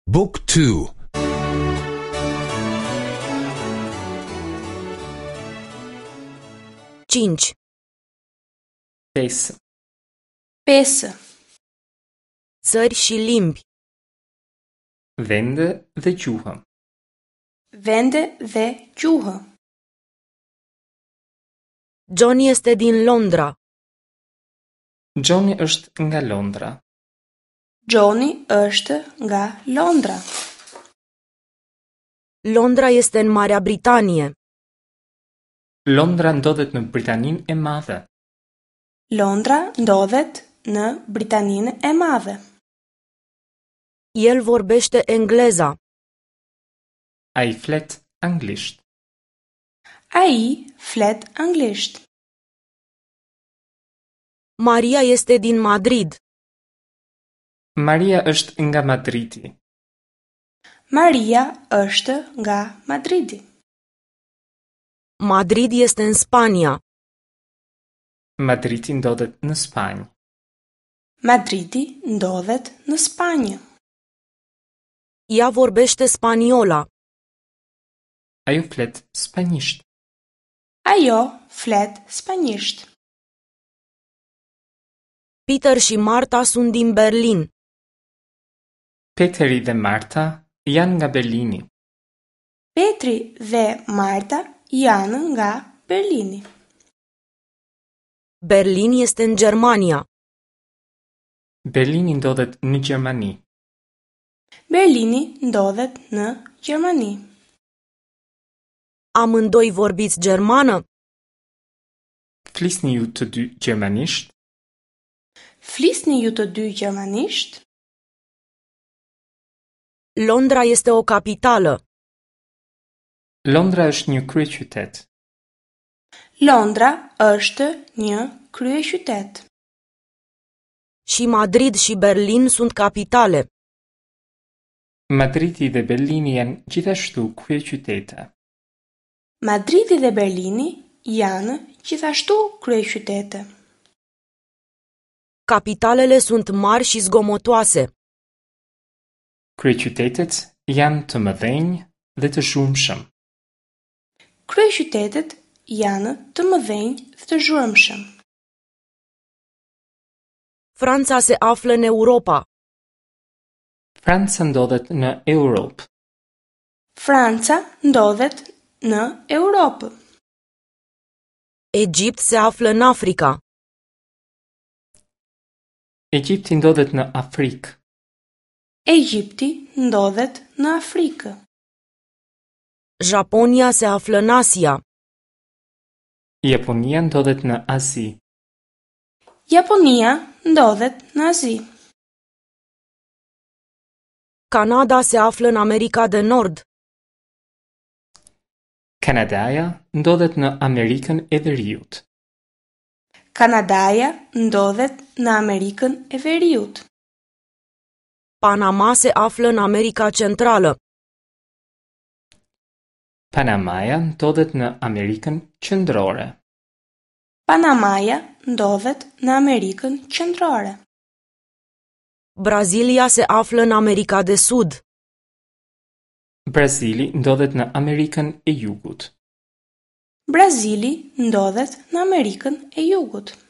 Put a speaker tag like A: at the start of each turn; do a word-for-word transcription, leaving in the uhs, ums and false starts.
A: Book two.
B: Cinci.
C: Pesë.
D: Pesë.
B: Țări și limbi.
C: Vende dhe gjuhë.
D: Vende dhe gjuhë.
B: John este din Londra.
C: Johnny është nga Londra.
D: Johnny është nga Londra.
B: Londra este în Marea Britanie.
C: Londra ndodhet në Britaninë e Madhe.
D: Londra ndodhet në Britaninë e Madhe.
B: El vorbește engleza.
C: Ai flet anglisht.
D: Ai flet anglisht.
B: Maria este din Madrid.
C: Maria është nga Madridi.
D: Maria është nga Madridi.
B: Madrid este în Spania.
C: Madridi ndodhet në Spanjë.
D: Madridi ndodhet në Spanjë.
B: Ea vorbește spaniola.
C: Ajo flet spanjisht.
D: Ajo flet spanjisht.
B: Peter și Marta sunt din Berlin.
C: Peteri dhe Marta janë nga Berlini.
D: Petri dhe Marta janë nga Berlini.
B: Berlin este în Germania.
C: Berlini ndodhet në Gjermani.
D: Berlini ndodhet në Gjermani.
B: Amândoi vorbiți germană?
C: Flisni ju të dy gjermanisht?
D: Flisni ju të dy gjermanisht?
B: Londra este o capitală.
C: Londra është një kryeqytet.
D: Londra është një kryeqytet.
B: Și Madrid și Berlin sunt capitale.
C: Madridi dhe Berlini janë gjithashtu kryeqytete.
D: Madridi dhe Berlini janë gjithashtu kryeqytete.
B: Capitalele sunt mari și zgomotoase.
C: Kryeqytetet janë të mëdhenj dhe të zhurmshëm.
D: Kryeqytetet janë të mëdhenj dhe të zhurmshëm.
B: Franța se află în Europa.
C: Franca ndodhet në Europë.
D: Franca ndodhet në Europë.
B: Egipt se află în Africa.
C: Egjipti ndodhet në Afrikë.
D: Egjipti ndodhet në Afrikë.
B: Japonia se află în Asia.
C: Japonia ndodhet në Azi.
D: Japonia ndodhet në Azi.
B: Canada se află în America de Nord.
C: Kanadaja ndodhet në Amerikën e Veriut.
D: Kanadaja ndodhet në Amerikën e Veriut.
B: Panama se află în America Centrală.
C: Panamaja ndodhet në Amerikën Qendrore.
D: Panamaja ndodhet në Amerikën Qendrore.
B: Brazilia se află în America de Sud.
C: Brazili ndodhet në Amerikën e Jugut.
D: Brazili ndodhet në Amerikën e Jugut.